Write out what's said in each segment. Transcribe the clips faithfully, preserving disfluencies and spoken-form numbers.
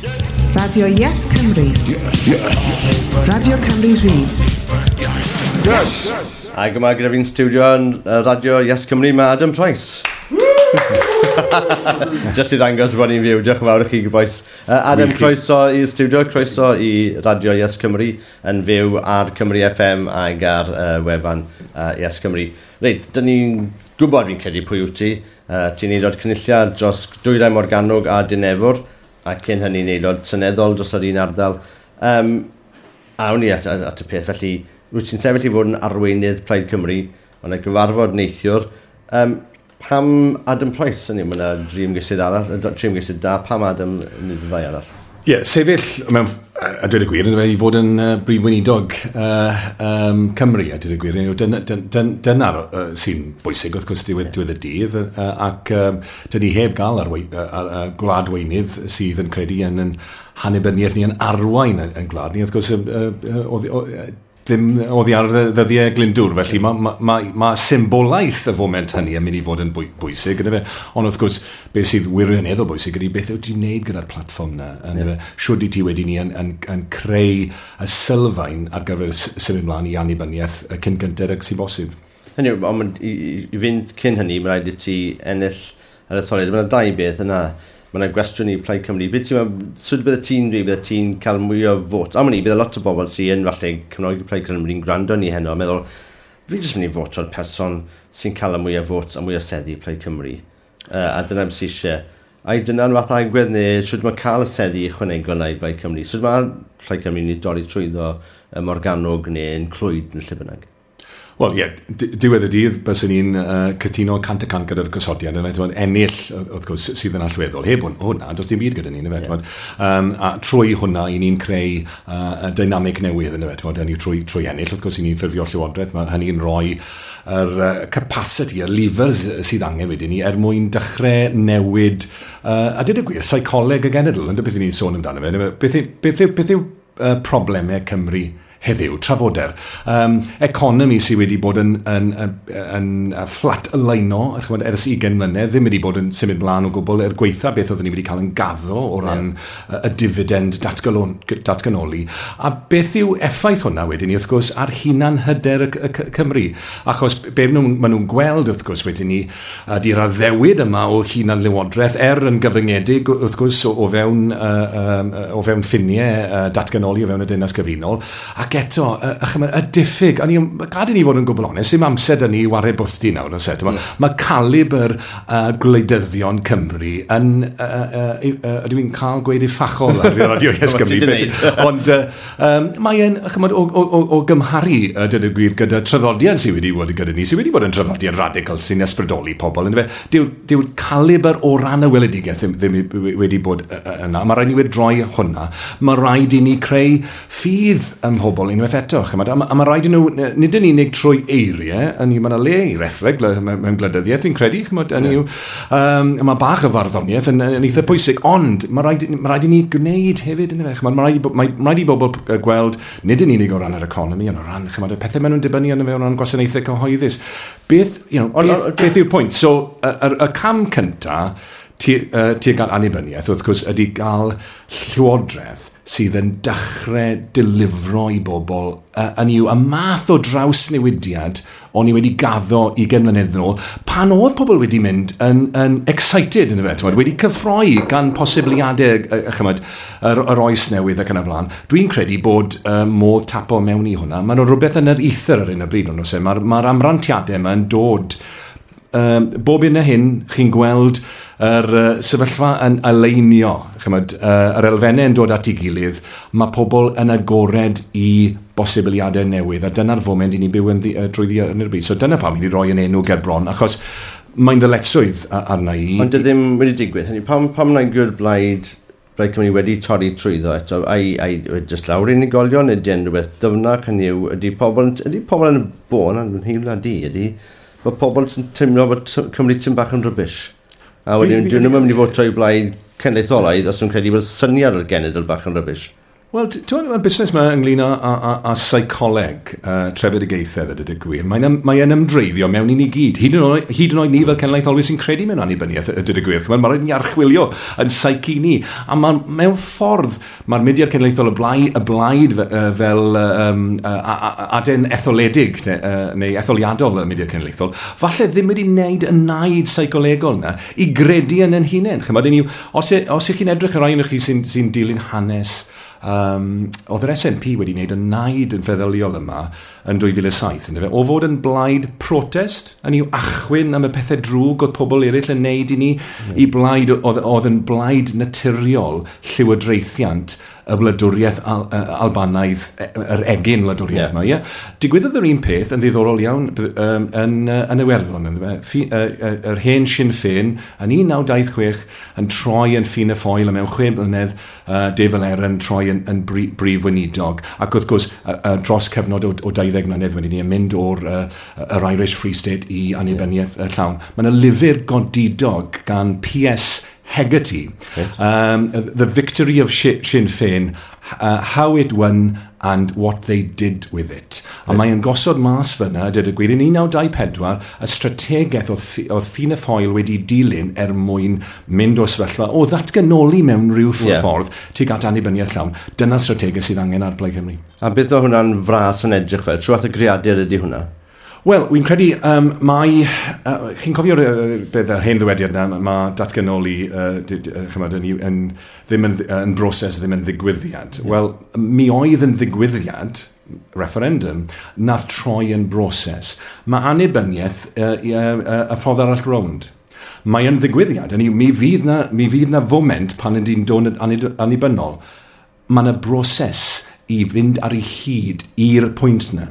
Yes. Radio Yes Cymru. Radio Cymru Rhydd. Yes! Ac yma gyda fi'n studio yn uh, Radio Yes Cymru, mae Adam Price. Just i ddangos bod ni'n fyw, diolch yn fawr i chi, boys. Uh, Adam, croeso i'r studio, croeso i Radio Yes Cymru yn fyw ar Cymru F M ag ar uh, wefan uh, Yes Cymru. Reit, dyn ni'n gwybod fi'n credu pwy wyt ti. Uh, ti'n aelod cynulliad dros Dwyrain Morgannwg a Dinefwr, a cyn hynny'n aelod seneddol dros yr un ardal. Um, awn ni at, at, at y peth, felly wyt ti'n sefyll i fod yn arweinydd Plaid Cymru, ond y gyfarfod neithiwr. Um, pam Adam Price, hynny, mae yna dri ymgeisydd arall, tri ymgeisydd da, pam Adam nid y ddau arall? Ie, yeah, sefyll, mewn, a dweud y gwir, i fod yn uh, brif weinidog uh, um, Cymru, a dweud y gwir, dyna, dyna, dyna'r uh, sy'n bwysig, wrth gwrs, diwedd, diwedd y dydd, uh, ac um, dyn ni heb gael ar, ar, ar, ar gwlad weinydd sydd yn credu yn, yn hannibyniaeth ni yn arwain yn, yn gwlad ni, wrth gwrs, uh, uh, uh, ddim oddi ar ddyddiau Glyndŵr, felly mae ma, ma, ma symbolaeth y foment hynny yn mynd i fod yn bwysig, yna fe. Ond wrth gwrs, beth sydd wirioneddol bwysig ydy beth wyt ti'n neud gyda'r platfform na, yna fe. Shwd i ti wedi ni yn, yn, yn creu y sylfaen ar gyfer symud mlaen i annibyniaeth cyn gynted ag sy'n bosib. Hynny, ond i, i fynd cyn hynny, mae rhaid i ti ennill yr etholiad. Mae yna dau beth yna. Mae yna gwestiwn i Plaid Cymru. Beth ti'n sut bydde ti'n dweud bydde ti'n cael mwy o fot? Am hynny, bydde lot o bobl sy'n yn falle Cymraeg i Plaid Cymru'n gwrando ni heno a meddwl, fi jyst mynd i voto'r person sy'n cael y mwy o fot a mwy o seddi Plaid Cymru. Uh, a dyna beth sy'n eisiau. Ai dyna'n fath agwedd neu sut mae cael y seddi ychwanegol na i Plaid Cymru? Sut mae Plaid Cymru'n i dorri trwyddo y Morgannwg neu yn Clwyd yn lle bynnag? Wel, ie, yeah, diwedd y dydd, byswn ni'n uh, cytuno cant y cant gyda'r gosodiad, yna, t'mod, ennill, wrth gwrs, sydd yn allweddol. Heb hwnna, does dim byd gyda ni, yna, yeah. um, a trwy hwnna, i ni'n creu uh, dynamig newydd, yna, t'mod, hynny trwy, trwy ennill, wrth gwrs, i ni'n ffurfio llywodraeth, mae hynny'n rhoi yr uh, capacity, y levers sydd angen wedyn ni, er mwyn dechrau newid, uh, a dweud y gwir, seicoleg y genedl, ynddo beth i ni'n sôn amdano fe, beth, beth, beth, beth yw uh, problemau Cymru heddiw, trafoder. Um, economi sydd wedi bod yn, yn, yn, yn flat leino, chymod, ers ugain mlynedd, ddim wedi bod yn symud mlaen o gwbl er gweitha beth oedden ni wedi cael yn gaddo o ran yeah. y dividend datganoli. A beth yw effaith hwnna wedyn ni, wrth gwrs, ar hunan hyder y, y, y Cymru? Achos be nhw, maen nhw'n gweld, wrth gwrs, wedyn ni, ydy'r addewid yma o hunan lywodraeth, er yn gyfyngedig, wrth gwrs, o, o fewn, uh, um, o fewn ffiniau uh, datganoli, o fewn y Deyrnas Gyfunol, ac eto, y, y, y diffyg, a ni, gad i ni fod yn gwbl onest, dim amser da ni i wario bwthdi nawr, oes e? Mm. Mae calibr uh, gwleidyddion Cymru yn, uh, uh, uh, ydw i'n cael gweud uffachol ar Radio Yes Cymru, ond uh, um, mae'n, chymod, o, o, o gymharu, uh, dyn y gwir, gyda traddodiad sydd wedi bod gyda ni, sydd wedi bod yn traddodiad radical sy'n ysbrydoli pobl, yndyfe, dyw'r dyw calibr o ran y weledigaeth ddim, ddim wedi bod yna. Mae rhaid ni wedi droi hwnna. Mae rhaid i ni creu ffydd ym mhobl unwaith eto, chymod, a, a mae rhaid i nhw, nid yn unig trwy eiriau, yn mae yna le i rethreg mewn gwleidyddiaeth, fi'n credu, chymod, yn yw, um, mae bach o farddoniaeth yn, yn eitha pwysig, ond mae rhaid, mae rhaid i ni gwneud hefyd, yn chymod, mae rhaid, mae, mae rhaid i bobl gweld, nid yn unig o ran yr economi, ond o ran, chymod, y pethau maen nhw'n dibynnu arno fe o ran gwasanaethau cyhoeddus. Beth, you know, beth, beth yw'r pwynt? So, y, y, y cam cynta tuag at annibyniaeth, wrth gwrs, ydy gael llywodraeth sydd yn dechrau delifro i bobl uh, yn yw y math o drawsnewidiad o'n i wedi gaddo ugain mlynedd yn ôl, pan oedd pobl wedi mynd yn, yn excited yn y fe, wedi cyffroi gan posibiliadau uh, chymod, yr, yr oes newydd ac yn y blaen. Dwi'n credu bod uh, modd tapo mewn i hwnna. Mae nhw rhywbeth yn yr ether ar hyn o bryd, ond oes e? Mae'r ma amrantiadau yma yn dod. Um, bob un a hyn, chi'n gweld yr uh, sefyllfa yn aleinio, chymod, uh, yr elfennau yn dod at ei gilydd, mae pobl yn agored i bosibiliadau newydd, a dyna'r foment i ni byw yn ddi, uh, drwyddi yn yr byd. So dyna pam i ni roi yn enw ger bron, achos mae'n ddyletswydd arna i. Ond ddim wedi digwydd. Hynny, pam, pam na'n gwrdd blaid, Plaid Cymru wedi torri trwyddo eto, ai, ai jyst lawr unigolion, ydy yn rhywbeth dyfnach, hynny yw, ydy pobl, ydy pobl yn y bôn, yn nheimlad i, ydy, bod pobl sy'n teimlo bod Cymru ti'n bach yn rubbish. A wedyn, dyn nhw'n mynd i fod troi blaid cenedlaetholaidd os nhw'n credu bod syniad o'r genedl bach yn rubbish. Wel, ti'n mae'r busnes yma ynglyn â, â, â, â seicoleg uh, trefedigaethau, ddweud y gwir. Mae'n mae yn ymdreiddio mewn i ni gyd. Hyd yn oed, hyd yn oed ni fel cenedlaetholwyr sy'n credu mewn annibyniaeth, dweud y gwir. Mae'n rhaid ni archwilio yn psyche ni. A ma, mewn ffordd, mae'r mudiad cenedlaethol y blaid, y blaid fel um, aden etholedig, neu etholiadol y mudiad cenedlaethol, falle ddim wedi wneud y naid seicolegol yna i gredu yn yn hunain. Chymod, os, os ych chi'n edrych ar rai ohonoch chi sy'n sy dilyn hanes, Um, oedd yr S N P wedi wneud y naid yn feddyliol yma yn dwy fil a saith, yndyfe? O fod yn blaid protest, yn i'w achwyn am y pethau drwg oedd pobl eraill yn neud i ni, mm. i blaid, oedd, oedd yn blaid naturiol llywodraethiant y wladwriaeth al, Albanaidd, yr egin wladwriaeth yma. Yeah. Yeah? Digwyddodd yr un peth yn ddiddorol iawn um, yn, yn Iwerddon. Ffi, uh, yr hen Sinn Féin yn un naw dau chwech yn troi yn Fianna Fáil a mewn chwe blynedd uh, Dave Aaron troi yn, yn bri, brif weinidog. Ac wrth gwrs, uh, uh, dros cyfnod o, o dauddeg mlynedd wedyn ni yn mynd o'r uh, yr Irish Free State i annibyniaeth yeah. llawn. Mae yna lyfr godidog gan P S Hegarty, right. um, The Victory of Sinn Féin, uh, How It Won and What They Did With It. A right. mae'n gosod mas fyna, dweud y gwir, yn un naw dau pedwar, y strategaeth oedd, oedd Fianna Fáil wedi dilyn er mwyn mynd o'r sefyllfa o ddatganoli mewn rhyw yeah. ffordd tuag at annibyniaeth llawn. Dyna strategaeth sydd angen ar Blaid Cymru. A beth oedd hwnna'n fras yn edrych fel? Trwy fath o greadur ydy hwnna? Wel, wy'n credu um, mai... Uh, chi'n cofio'r uh, beth yr hen ddywediad yna, mae datganoli uh, d, d, chymod, yn, yn, ddim yn, yn broses, ddim yn ddigwyddiad. Yeah. Wel, mi oedd yn ddigwyddiad, referendum, nath troi yn broses. Mae annibyniaeth uh, uh, uh, y ffordd arall rownd. Mae yn ddigwyddiad. Hynny yw, mi fydd na, mi fydd na foment pan ydy'n dod yn annibynnol. Mae yna broses i fynd ar ei hyd i'r pwynt yna.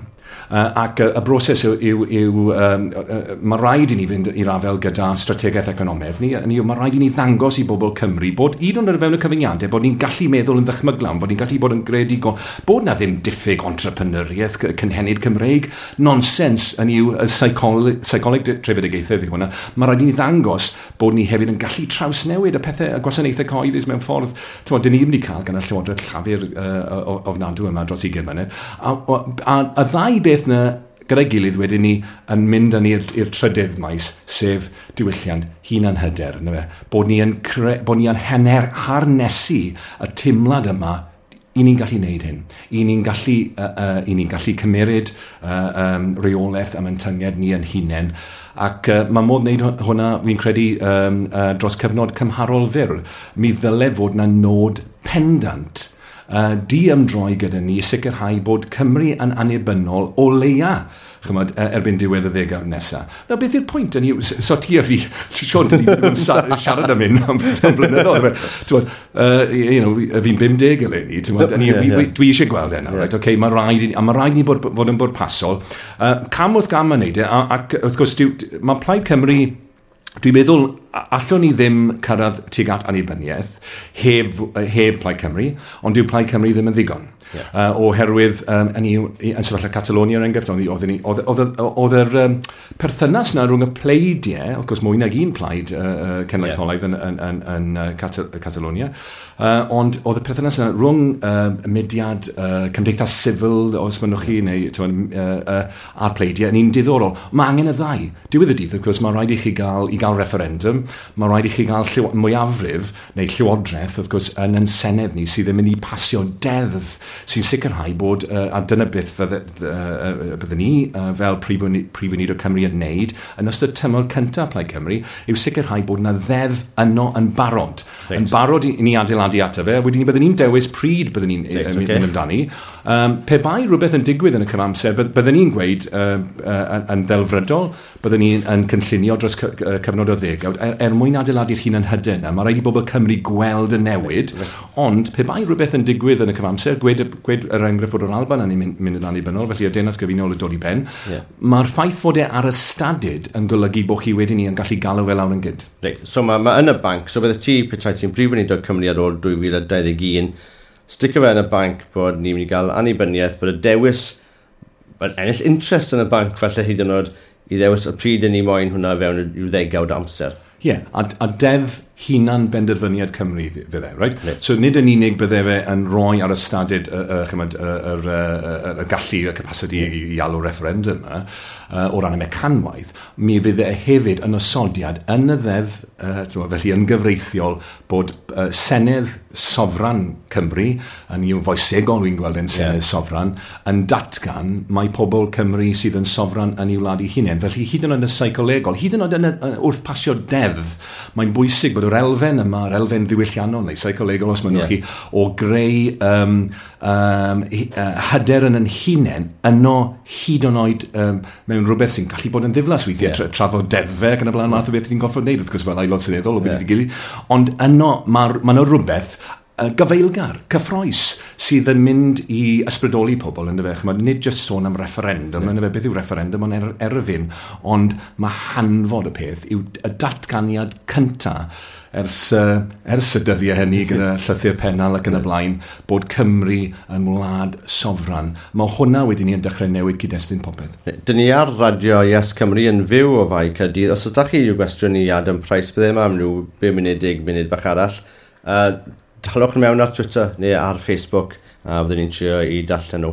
Uh, ac y, y broses yw, yw, yw um, uh, mae rhaid i ni fynd i'r afael gyda strategaeth economaidd ni, ni mae rhaid i ni ddangos i bobl Cymru bod hyd yn oed o fewn y cyfyngiadau bod ni'n gallu meddwl yn ddychmyglawn, bod ni'n gallu bod yn greadigol, bod na ddim diffyg entrepreneuriaeth cynhenid Cymreig, nonsens yn yw y seicoleg, seicoleg trefedigaethau yw hwnna. Mae rhaid i ni ddangos bod ni hefyd yn gallu trawsnewid y pethau, y gwasanaethau cyhoeddus mewn ffordd, t'mod, dyn ni ddim wedi cael gan y Llywodraeth Llafur uh, ofnadw yma dros ugain mlynedd. A, a, a, a ddau beth na gyda'i gilydd wedyn ni yn mynd â ni i'r trydydd maes, sef diwylliant hunanhyder, yndyfe? Bod ni yn, cre, bod ni yn henner harnesu y teimlad yma i ni'n gallu neud hyn. I ni'n gallu, uh, uh, i ni'n gallu cymeryd uh, um, reolaeth am ein tynged ni yn hunain. Ac uh, mae modd wneud hwnna, fi'n credu, um, uh, dros cyfnod cymharol fyr. Mi ddyle fod na nod pendant Uh, di ymdroi gyda ni i sicrhau bod Cymru yn annibynnol o leia, chymod, erbyn diwedd y ddegawd nesaf. Na, beth yw'r pwynt? Ni, so ti a fi, Siôn, dyn ni wedi bod yn siarad am hyn am, am blynyddoedd. T'mod, uh, you know, fi'n bum deg eleni, t'mod, yeah, yeah. Dwi eisiau gweld e nawr, yeah. Right? Okay, mae rhaid i, a mae rhaid i ni bod, fod yn bwrpasol. Uh, cam wrth gam yn neud e, ac wrth gwrs, mae Plaid Cymru, dwi'n meddwl, allwn ni ddim cyrraedd tuag at annibyniaeth heb, heb Plaid Cymru, ond dyw Plaid Cymru ddim yn ddigon. Yeah. Uh, oherwydd, um, yn, yn sefyllfa Catalonia er enghraifft, oedd, oedd, oedd yr um, perthynas na rhwng y pleidiau, wrth gwrs mwy nag un plaid uh, cenedlaetholaidd yeah. yn, yn, yn, yn Catal Catalonia, uh, ond oedd y perthynas yna rhwng uh, mudiad uh, cymdeithas sifil, os mynnwch chi, neu uh, uh, a'r pleidiau, yn un diddorol. Mae angen y ddau. Diwedd y dydd, wrth gwrs, mae rhaid i chi gael, i gael referendum, mae rhaid i chi gael llyw, mwyafrif, neu llywodraeth, wrth gwrs, yn yn Senedd ni, sydd yn mynd i pasio deddf sy'n sicrhau bod, uh, a dyna beth fydde, uh, byddwn ni uh, fel Prif Weinidog Cymru yn wneud yn ystod tymor cyntaf Plaid Cymru, yw sicrhau bod yna ddeddf yno yn barod. Right. Yn barod i, i ni adeiladu ato fe, wedyn ni byddwn ni'n dewis pryd byddwn ni'n right, okay. mynd amdani. Um, pe bai rhywbeth yn digwydd yn y cyfamser, byddwn ni'n gweud uh, uh, yn ddelfrydol, byddwn ni'n yn cynllunio dros cyfnod o ddegawd, er, er mwyn adeiladu'r hunan hyder yna, mae rhaid i bobl Cymru gweld y newid, right. Ond pe bai rhywbeth yn digwydd yn y cyfamser, gwed, gwed yr enghraifft fod yr Alban yn mynd, mynd yn annibynnol, felly y Deyrnas Gyfunol yn dod i ben, yeah. Mae'r ffaith fod e ar y stadud yn golygu bod chi wedyn ni yn gallu galw fe lawr yn gynt. Reit, so mae ma yn y banc, so bydde ti, petai ti'n Brif Weinidog Cymru ar ôl dwy fil a dau ddeg un, sticio fe yn y banc bod ni'n mynd i gael annibyniaeth, bod y dewis, bod ennill interest yn y banc falle hyd yn oed i ddewis y pryd yn ni moyn hwnna fewn i'w ddegawd amser. Ie, yeah, a, a deddf Hunan benderfyniad Cymru fydde, right? Yeah. So nid yn unig bydde fe yn rhoi ar y stadud y, y, chymod, y, y, y, y gallu, y capacity yeah. i, i alw referendum yma, uh, o ran y mecanwaith, mi fydde hefyd yn osodiad yn y ddeddf, uh, felly yn gyfreithiol, bod uh, Senedd Sofran Cymru, yn i'w foesegol wy'n gweld yn Senedd yeah. Sofran, yn datgan mae pobl Cymru sydd yn sofran yn i'w wlad eu hunain. Felly hyd yn oed yn y seicolegol, hyd yn oed yn y, wrth pasio deddf, mae'n bwysig bod yr elfen yma, yr elfen ddiwylliannol neu seicolegol os mynnwch yeah. chi, o greu um, um, hyder yn yn hunain yno hyd yn oed um, mewn rhywbeth sy'n gallu bod yn ddiflas weithiau, yeah. tra, trafod deddfau ac yn y blaen, math o beth ti'n gorfod wneud, wrth gwrs fel aelod seneddol o beth yeah. gilydd, ond yno mae ma yna rhywbeth gyfeilgar, cyffroes, sydd yn mynd i ysbrydoli pobl, yn dyfe. Chymod, nid just sôn am referendum, yeah. yn dyfe, beth yw referendum, ond er, erfyn, ond mae hanfod y peth yw y datganiad cynta ers, uh, ers y dyddiau hynny gyda llythyr Pennal ac yn y blaen, bod Cymru yn wlad sofran. Mae hwnna wedyn ni yn dechrau newid cyd-destun popeth. Dyn ni ar Radio Yes Cymru yn fyw o Fae Caerdydd. Os ydych chi i'w gwestiwn i Adam Price, bydde yma am ryw bum munud, deg munud bach arall. Uh, Talwch mewn ar Twitter neu ar Facebook, a fyddwn ni'n trio i darllen nhw.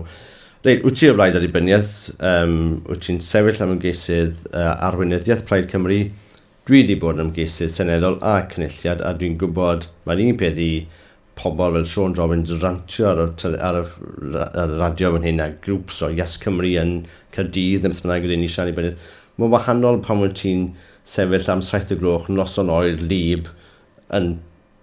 Reit, wyt ti o blaid annibyniaeth, um, wyt ti'n sefyll am ymgeisydd uh, arweinyddiaeth Plaid Cymru. Dwi wedi bod yn ymgeisydd seneddol a cynulliad, a dwi'n gwybod mae'r un peth i pobl fel Siôn Jobbins rantio ar y, ar y, ar y radio fan hyn a grŵps o Yes Cymru yn Caerdydd neu beth bynnag ydyn ni siarad annibyniaeth. Mae'n wahanol pan wyt ti'n sefyll am saith y gloch noson oer lib yn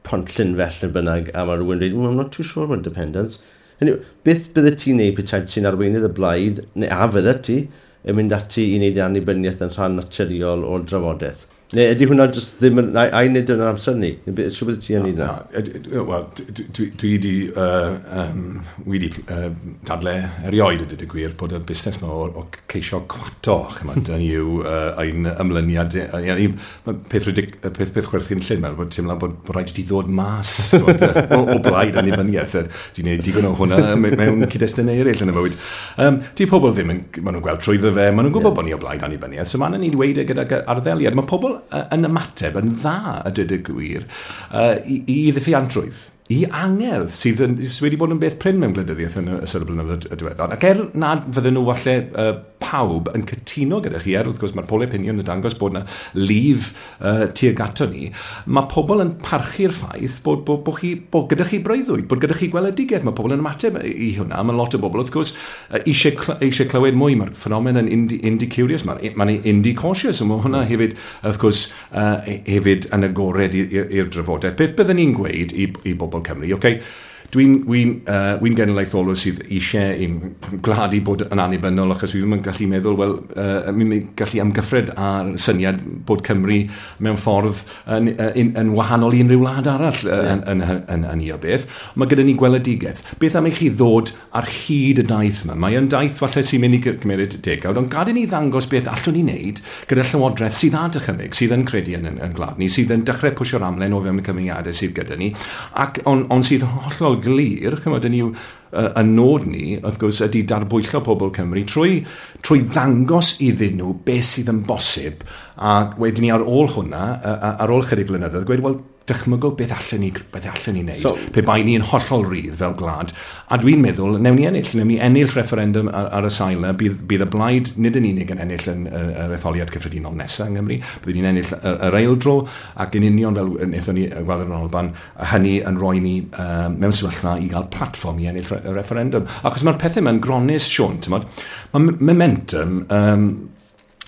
Pont Llynfell neu bynnag, a mae rhywun dweud, I'm not too sure about independence. Hynny, beth bydde ti'n neud petai ti'n arweinydd y blaid, neu a fydde ti, yn mynd ati i wneud annibyniaeth yn rhan naturiol o'r drafodaeth? Neu ydy hwnna just ddim yn... Ai wneud yn amser ni? Siw bydde ti yn neud na? Wel, dwi wedi um, wedi uh, dadle erioed y dweud y gwir bod y busnes yma o, o ceisio cwato, chymod, yn yw uh, ein ymlyniad. Peth, ridic, peth, peth chwerthin llyn, mae'n bod teimlo bod, bod rhaid i ti ddod mas dod, o, o blaid annibyniaeth. Dwi'n gwneud digon o hwnna mewn cyd-destun eraill yn y bywyd. Um, di pobl ddim yn, maen nhw'n gweld trwyddo fe, maen nhw'n gwybod yeah. bod ni o blaid annibyniaeth, so maen nhw'n dweud e gydag arddeliad. Mae pobl yn ymateb yn dda, a dweud y gwir, uh, i, i ddiffuantrwydd, i angerdd sydd, yn, sydd wedi bod yn beth prin mewn gwleidyddiaeth yn ystod y blynyddoedd y diweddar. Ac er nad fydden nhw falle uh, pawb yn cytuno gyda chi, er wrth gwrs mae'r polau opinion yn dangos bod yna lif uh, tuag ato ni, mae pobl yn parchu'r ffaith bod, bod, bod, chi, bod gyda chi breuddwyd, bod gyda chi gweledigaeth. Mae pobl yn ymateb i hwnna. Mae lot o bobl, wrth gwrs, eisiau, cl eisiau clywed mwy. Mae'r ffenomen yn indie, indie curious, mae'n ma indie cautious, a mae hwnna hefyd, wrth gwrs, uh, hefyd yn agored i'r drafodaeth. Beth byddwn ni'n gweud i, i bobl Cymru, okay, Dwi'n wi uh, wi genedlaetholwr sydd eisiau i'n gwlad i bod yn annibynnol, achos fi ddim yn gallu meddwl, wel, uh, mi'n gallu amgyffred ar syniad bod Cymru mewn ffordd yn, yn, yn wahanol i unrhyw wlad arall yeah. yn, yn, yn, yn, yn i o beth. Mae gyda ni gweledigaeth. Beth am i chi ddod ar hyd y daith yma? Mae yn daith falle sy'n mynd i gymryd degawd, ond gad i ni ddangos beth allwn ni wneud gyda llywodraeth sydd â dychymyg, sydd yn credu yn, yn, yn gwlad ni, sydd yn dechrau pwysio'r amlen o fewn y cyfyngiadau sydd gyda ni, ac on, on sydd yn hollol glir, chymod, yn yw uh, y nod ni, wrth gwrs, ydy darbwyllo pobl Cymru trwy, trwy ddangos iddyn nhw beth sydd yn bosib, a wedyn ni ar ôl hwnna, ar ôl chydig blynyddoedd, gweud, wel, dychmygol beth allan ni, beth allan ni wneud, so, pe bai ni yn hollol rydd fel gwlad. A dwi'n meddwl, newn ni ennill, newn ni ennill referendum ar, ar y sail yna, bydd, bydd y blaid nid yn unig yn ennill yn yr etholiad cyffredinol nesaf yng Nghymru, bydd ni'n ennill yr, yr eildro, ac yn union fel wnaethon ni gweld yn Alban, hynny yn rhoi ni um, mewn sefyllfa i gael platfform i ennill y referendum. Achos mae'r pethau yma'n gronus, Siôn, ti'mod, mae momentum, um,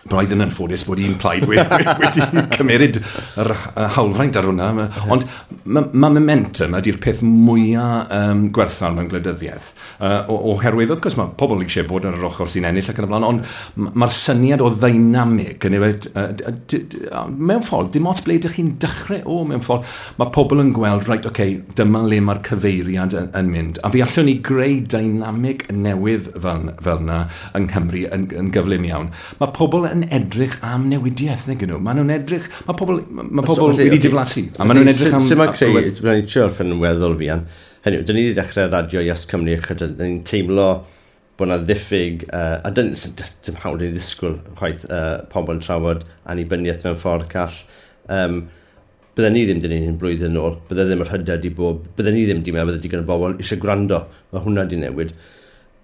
braidd yn anffodus bod un plaid wedi, wedi cymeryd yr hawlfraint ar hwnna. Ond mae ma momentum ydy'r peth mwyaf um, gwerthfawr mewn gwleidyddiaeth. Uh, oherwydd, wrth gwrs, mae pobl eisiau bod ar yr ochr sy'n ennill ac yn y blaen, ond mae'r syniad o ddeinamig, yn efo, uh, mewn ffordd, dim ots ble ydych chi'n dechrau o, mewn ffordd, mae pobl yn gweld, right, okay, dyma le mae'r cyfeiriad yn, yn mynd. A fi allwn ni greu deinamig newydd fel, fel yna yng Nghymru yn, yn gyflym iawn. Mae pobl yn edrych am newidiaeth, nag nhw. Maen nhw'n edrych, mae pobl, mae pobl so, wedi diflasu. A maen nhw'n edrych am... Sut mae creu, mae'n trio orffen yn weddol fi, hynny, dyn ni wedi dechrau Radio Yes Cymru, dyn ni'n teimlo bod yna ddiffyg, uh, a dyn, dim hawdd i ddisgwyl chwaith uh, pobl yn trafod annibyniaeth mewn ffordd call. Um, Bydden ni ddim di wneud hyn blwyddyn nôl, bydde ddim yr hyder di bod, bydden ni ddim di meddwl bydde digon o bobl eisiau gwrando. Mae hwnna di newid.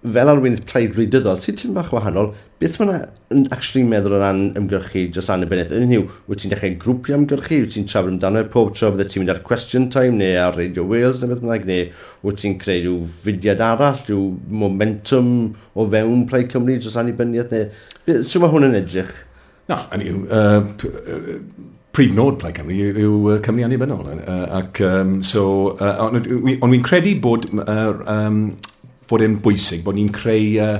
Fel arweinydd plaid wleidyddol, sydd tipyn bach wahanol, beth mae yna actually meddwl o ran ymgyrchu dros annibyniaeth? Yn yw, wyt ti'n dechrau grwpio ymgyrchu, wyt ti'n trafod amdano pob tro bydde ti'n mynd ar Question Time neu ar Radio Wales neu beth bynnag, neu wyt ti'n creu rhyw fudiad arall, rhyw momentum o fewn Plaid Cymru dros annibyniaeth, neu sut mae hwn yn edrych? Na, hynny yw, uh, prif nod Plaid Cymru yw, yw Cymru annibynnol. Uh, ac, um, so, uh, ond on wy'n credu bod uh, um, fod e'n bwysig bod ni'n creu uh,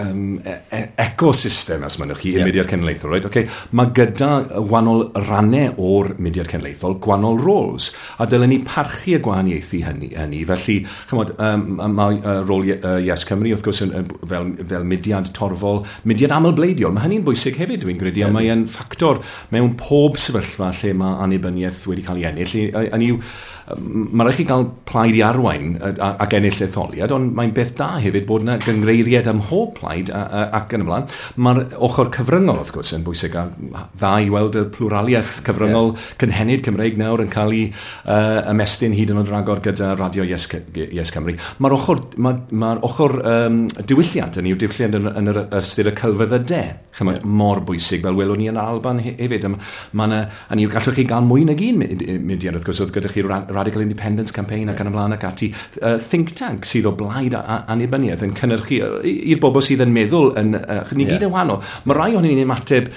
um, e ecosystem, os mynnwch chi, i'r yeah. mudiad cenedlaethol. Right? Okay. Mae gyda gwahanol rannau o'r mudiad cenedlaethol gwahanol roles, a dylen ni parchu y gwahaniaethu hynny. hynny. Felly, chymod, um, mae uh, rôl uh, Yes Cymru, wrth gwrs, yn, yn, fel, fel mudiad torfol, mudiad amlbleidiol. Mae hynny'n bwysig hefyd, dwi'n credu, yeah. a mae'n ffactor mewn pob sefyllfa lle mae annibyniaeth wedi cael ei ennill. Hynny yw, mae rhaid chi gael plaid i arwain ac ennill etholiad, ond mae'n beth da hefyd bod yna gyngreiriad ym mhob plaid ac yn y blaen. Mae'r ochr cyfryngol, wrth gwrs, yn bwysig, a dda i weld y pluraliaeth cyfryngol yeah. cynhenid Cymreig nawr yn cael ei uh, ymestyn hyd yn oed ragor gyda Radio Yes, Yes Cymru. Mae'r ochr, ma, mae'r ochr um, diwylliant yn yw diwylliant yn, yn yr ystyr y celfyddydau, chymod, yeah. mor bwysig, fel welwn ni yn Alban hefyd. Mae yna, hynny yw, gallwch chi gael mwy nag un mudiad, wrth gwrs, oedd gyda chi Radical Independence Campaign ac yn y blaen ac ati. Uh, think tank sydd o blaid annibyniaeth yn cynhyrchu i'r bobl sydd yn meddwl yn, uh, ni gyd yeah. yn wahanol. Mae rai ohonyn ni'n ymateb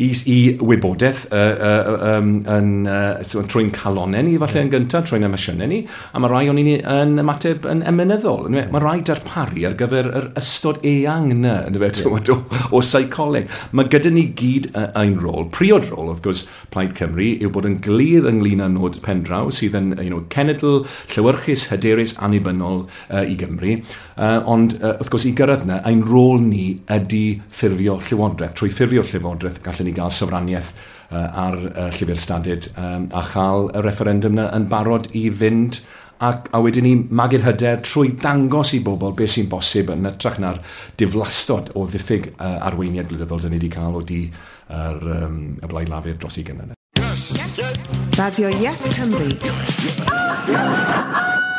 i, i wybodaeth uh, uh, um, yn, uh, trwy'n calonau ni falle yeah. yn gyntaf, trwy'n emosiynau ni, a mae rai ohonyn ni yn ymateb yn emynyddol. Yeah. Mae rai darparu ar gyfer yr ystod eang yna, yeah. o, o seicoleg. Mae gyda ni gyd ein rôl. Priod rôl, wrth gwrs, Plaid Cymru, yw bod yn glir ynglyn â nod pendraw sydd yn you know, cenedl llewyrchus, hyderus, annibynnol uh, i Gymru. Uh, ond, uh, wrth gwrs, i gyrraedd yna, ein rôl ni ydy ffurfio llywodraeth. Trwy ffurfio llywodraeth, gallwn ni gael sofraniaeth uh, ar uh, llyfr stadud um, a chael y referendum yna yn barod i fynd ac, a wedyn ni magu'r hyder trwy dangos i bobl beth sy'n bosib yn hytrach na'r diflastod o ddiffyg uh, arweiniad gwleidyddol dyn ni wedi cael o di yr, um, y Blaid Lafur dros ugain mlynedd. Yes. Yes. Radio Yes Cymru. Yes.